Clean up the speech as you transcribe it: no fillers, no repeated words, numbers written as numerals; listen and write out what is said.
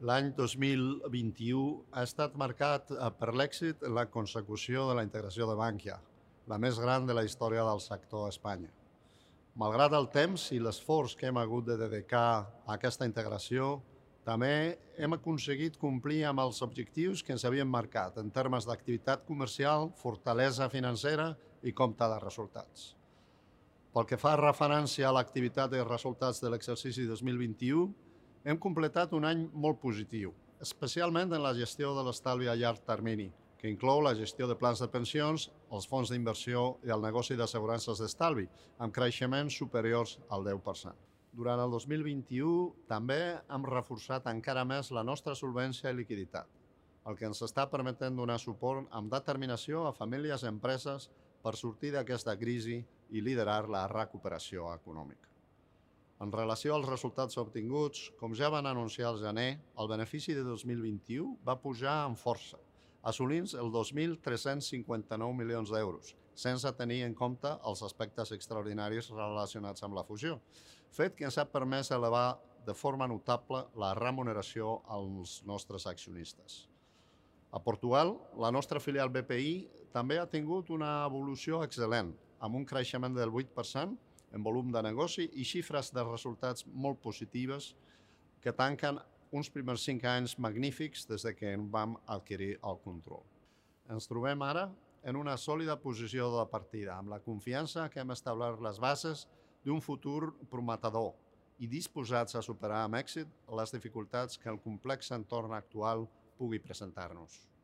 L'any 2021 ha estat marcat per l'èxit en la consecució de la integració de Bankia, la més gran de la història del sector a Espanya. Malgrat el temps i l'esforç que hem hagut de dedicar a aquesta integració, també hem aconseguit complir amb els objectius que ens havíem marcat en termes d'activitat comercial, fortalesa financera i compte de resultats. Pel que fa referència a l'activitat i resultats de l'exercici 2021, hem completat un any molt positiu, especialment en la gestió de l'estalvi a llarg termini, que inclou la gestió de plans de pensions, els fons d'inversió i el negoci d'assegurances d'estalvi, amb creixements superiors al 10%. Durant el 2021 també hem reforçat encara més la nostra solvència i liquiditat, el que ens està permetent donar suport amb determinació a famílies i empreses per sortir d'aquesta crisi i liderar la recuperació econòmica. En relació als resultats obtinguts, com ja van anunciar al gener, el benefici de 2021 va pujar amb força, assolint els 2.359 milions d'euros, sense tenir en compte els aspectes extraordinaris relacionats amb la fusió, fet que ens ha permès elevar de forma notable la remuneració als nostres accionistes. A Portugal, la nostra filial BPI també ha tingut una evolució excel·lent, amb un creixement del 8% en volum de negoci i xifres de resultats molt positives que tanquen uns primers 5 anys magnífics des que en vam adquirir el control. Ens trobem ara en una sòlida posició de partida, amb la confiança que hem establert les bases d'un futur prometedor i disposats a superar amb èxit les dificultats que el complex entorn actual pugui presentar-nos.